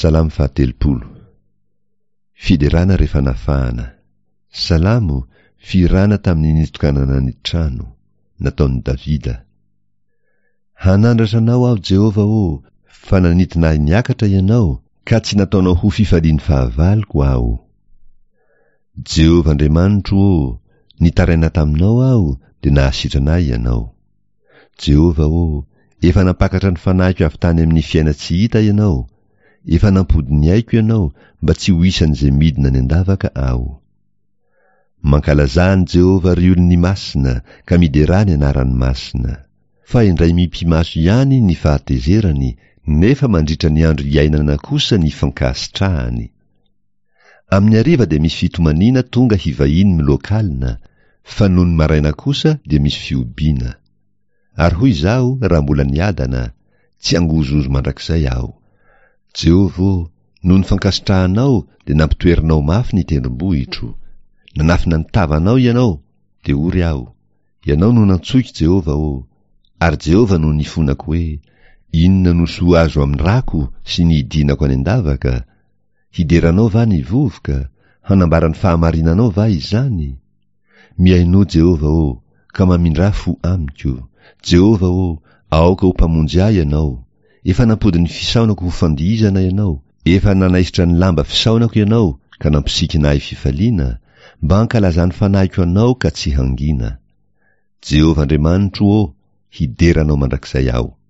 Salamo fahatelopolo. Fiderana rehefa nafahana. Salamo, fihirana tamin'ny nitokanana ny trano. Nataon'i Davida. Hanandratra anao aho, Jehovah ô, fa nanintona ahy niakatra ianao, ka tsy nataonao ho fifalian'ny fahavaloko aho. Jehovah Andriamanitro ô, nitaraina taminao aho, dia nahasitrana ahy ianao. Jehovah ô, efa nampakatra ny fanahiko avy tany amin'ny fiainan-tsy hita ianao, efa nampody ny aiko ianao mba tsy ho isan'izay midina any an-davaka aho. Mankalazà an'i Jehovah ry olony masina ka miderà ny anarany masina. Fa indray mipi-maso ihany ny fahatezerany, nefa mandritra ny andro iainana kosa ny fankasitrahany. Amin'ny hariva dia misy fitomaniana tonga hivahiny miloakalina, fa nony maraina kosa dia misy fihobiana. Ary hoy izaho raha mbola niadana, Tsy hangozohozo mandrakizay aho. Jehovah ô, noho ny fankasitrahanao dia nampitoerinao mafy ny tendrombohitro. Nanafina ny tavanao Ianao, dia ory aho. Ianao no nantsoiko, Jehovah ô! Ary Jehovah no nifonako hoe, Inona no soa azo amin'ny rako sy ny hidinako any an-davaka? Hidera Anao va ny vovoka? Hanambara ny fahamarinanao va izany? Mihainoa, Jehovah ô, ka mamindrà fo amiko. Jehovah ô, aoka ho Mpamonjy ahy Ianao. Efa nampody ny fisaonako ho fandihizana Ianao, efa nanaisotra ny lamba fisaonako Ianao ka nampisikina ahy fifaliana, mba hankalazan'ny fanahiko Anao ka tsy hangina. Jehovah Andriamanitro ô, hidera Anao mandrakizay aho.